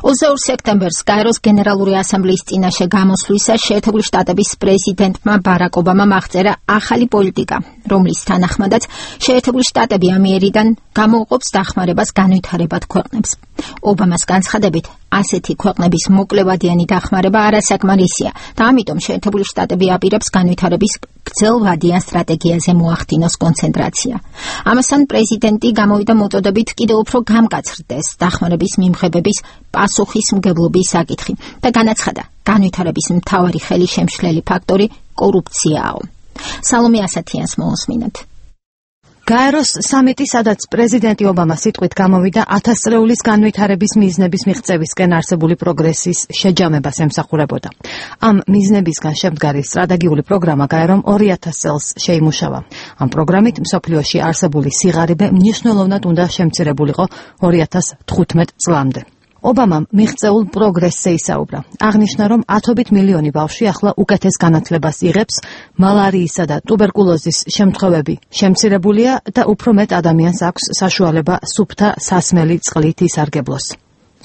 22 სექტემბერს გაეროს გენერალური ასამბლეის წინაშე გამოსვლისას შეერთებული შტატების პრეზიდენტმა ბარაკ ობამამ აღწერა ახალი პოლიტიკა, რომლის თანახმადაც შეერთებული შტატები ამიერიდან გამოუყოფს დახმარებას განვითარებად ქვეყნებს. ობამას განცხადებით, ასეთი ქვეყნების მოკლევადიანი დახმარება არასაკმარისია და ამიტომ შეერთებული შტატები აპირებს განვითარების გრძელვადიან სტრატეგიაზე მოახდინოს კონცენტრაცია. ამასთან პრეზიდენტი გამოვიდა მოწოდებით კიდევ უფრო გამკაცრდეს დახმარების მიმღებების პასუხისმგებლობის საკითხი და განაცხადა, განვითარების მთავარი ხელისშემშლელი ფაქტორი კორუფციაო. სალომე ასათიანს მოусმინოთ. გაეროს სამიტი, სადაც პრეზიდენტი ობამა სიტყვით გამოვიდა 1000 წლეულის განვითარების მიზნების მიღწევისკენ არსებული პროგრესის შეჯამებას ემსახურებოდა. ამ მიზნებისგან შემდგარი სტრატეგიული პროგრამა გაერომ 2000 წელს შეიმუშავა. ამ პროგრამით მსოფლიოში არსებული სიღარიბე მნიშვნელოვნად უნდა შემცირებულიყო 2015 წლამდე. ობამამ მიღწეულ პროგრესზე ისაუბრა. აღნიშნა, რომ ათობით მილიონი ბავშვი ახლა უკეთეს განათლებას იღებს, მალარიისა და ტუბერკულოზის შემთხვევები შემცირებულია და უფრო მეტ ადამიანს აქვს საშუალება სუფთა სასმელი წყლით ისარგებლოს.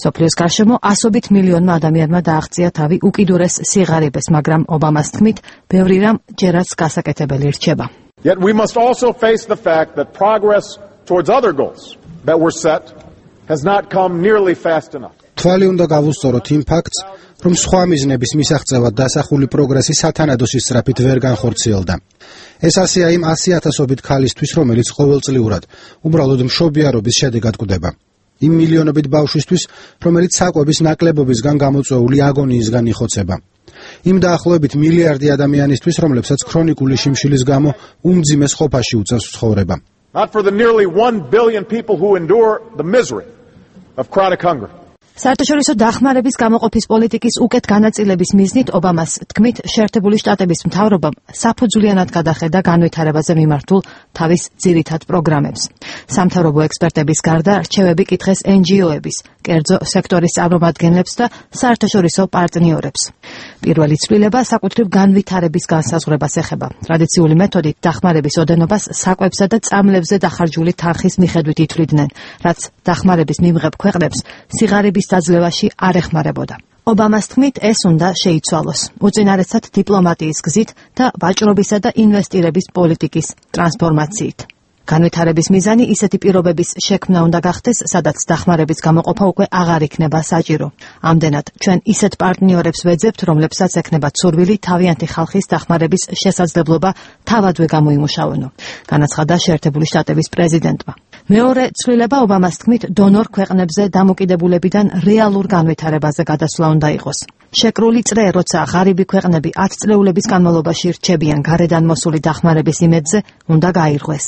სოფლიოს გარშემო ასობით მილიონმა ადამიანმა დააღწია თავი უკიდურეს სიღარიბეს, მაგრამ ობამას თქმით, ბევრი რამ ჯერაც გასაკეთებელი რჩება. Yet we must also face the fact that progress towards other goals that were set has not come nearly fast enough. თვალი უნდა გავუსწოროთ იმ ფაქტს, რომ სხვა მიზნების მისაღწევად დასახული პროგრესი სათანადო სისწრაფით ვერ განხორციელდა. ეს ასეა იმ 100,000-ობით ქალისთვის, რომელიც ყოველწლიურად უბრალოდ მშობიარობის შედეგად გვდება. იმ მილიონობით ბავშვისთვის, რომელიც საკვების ნაკლებობისგან გამოწვეული აგონიისგან იხოცება. იმ დაახლოებით მილიარდი ადამიანისთვის, რომლებსაც ქრონიკული შიმშილის გამო უმძიმეს ყოფაში უწევს ცხოვრება. Not for the nearly 1 billion people who endure the misery of chronic hunger. საერთაშორისო დახმარების გამოყოფის პოლიტიკის უკეთ განაწილების მიზნით ობამას თქმით, შეერთებული შტატების მთავრობამ საფუძვლიანად გადახედა განვითარებაზე მიმართულ თავის ძირითად პროგრამებს. სამთავრობო ექსპერტების გარდა რჩევები კითხეს NGO-ების, კერძო სექტორის წარმომადგენლებს და საერთაშორისო პარტნიორებს. პირველი ცვლილება საკუთრივ განვითარების განსაზღვრებას ეხება. ტრადიციული მეთოდით დახმარების ოდენობას საკვებსა და წამლებზე დახარჯული თანხის მიხედვით ითვლიდნენ, რაც დახმარების მიმღებ ქვეყნებს სიღარიბის დაძლევაში არ ეხმარებოდა. ობამას თქმით, ეს უნდა შეიცვალოს, უწინარესად დიპლომატიის გზით და ვაჭრობისა და ინვესტირების პოლიტიკის ტრანსფორმაციით. განვითარების მიზანი ისეთი პირობების შექმნა უნდა გახდეს, სადაც დახმარების გამოყოფა უკვე აღარ იქნება საჭირო. ამდენად, ჩვენ ისეთ პარტნიორებს ვეძებთ, რომლებსაც ექნება ცურვილი თავიანთი ხალხის დახმარების შესაძლებლობა თავადვე გამოიმუშავონო, განაცხადა შეერთებული შტატების პრეზიდენტმა. მეორე ცვლილება ობამას თქმით, დონორ ქვეყნებზე დამოკიდებულებიდან რეალურ განვითარებაზე გადასვლა უნდა იყოს. შეკრული წრე, როცა ღარიბი ქვეყნები 10 წლეულების განმავლობაში რჩებიან გარედან მოსული დახმარების იმედზე, უნდა გაირღვეს.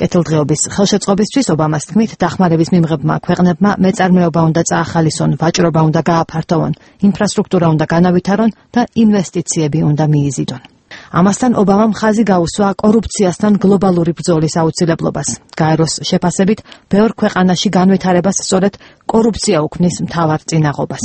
კეთილდღეობის ხელშეწყობისთვის ობამას თქმით, დახმარების მიმღებმა ქვეყნებმა მეწარმეობა უნდა წაახალისონ, ვაჭრობა უნდა გააფართოვონ, ინფრასტრუქტურა უნდა განავითარონ და ინვესტიციები უნდა მიიზიდონ. ამასთან ობამამ ხაზი გაუსვა კორუფციასთან გლობალური ბრძოლის აუცილებლობას. გაეროს შეფასებით, ბევრ ქვეყანაში განვითარებას სწორედ კორუფცია უქმნის მთავარ წინაღობას.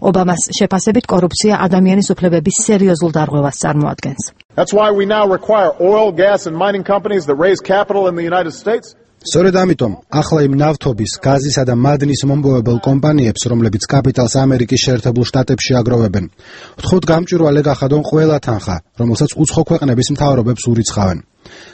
ობამას შეფასებით, კორუფცია ადამიანის უფლებების სერიოზულ დარღვევას წარმოადგენს. That's why we now require oil, gas and mining companies that raise capital in the United States. სწორედ ამიტომ, ახლა იმ ნავთობის, გაზისა და მადნის მომპოვებელ კომპანიებს, რომლებიც კაპიტალს ამერიკის შეერთებულ შტატებში აგროვებენ, ვთხოვთ გამჭვირვალე გახადონ ყველა თანხა, რომელსაც უცხო ქვეყნების მთავრობებს ურიცხავენ.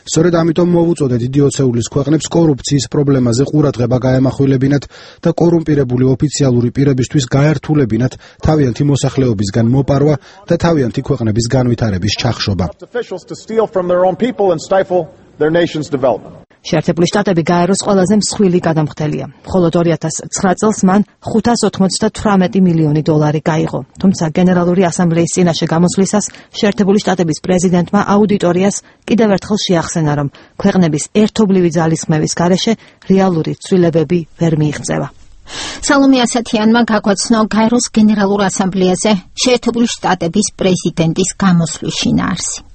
სწორედ ამიტომ მოვუწოდეთ იდიოცეულის ქვეყნებს კორუფციის პრობლემაზე ყურადღება გაემახვილებინათ და კორუმპირებული ოფიციალური პირებისთვის გაერთულებინათ თავიანთი მოსახლეობისგან მოპარვა და თავიანთი ქვეყნების განვითარების ჩახშობა. შეერთებული შტატები გაეროს ყველაზე მსხვილი გადამხდელია. მხოლოდ 2009 წელს მან $598 მილიონი გაიღო. თუმცა გენერალური ასამბლეის წინაშე გამოსვლისას შეერთებული შტატების პრეზიდენტმა აუდიტორიას კიდევ ერთხელ შეახსენა, რომ ქვეყნების ერთობლივი ძალისხმევის გარეშე რეალური ცვლილებები ვერ მიიღწევა. სალომე ასათიანმა გაგვაცნო გაეროს გენერალურ ასამბლეაზე შეერთებული შტატების პრეზიდენტის გამოსვლის შინაარსი.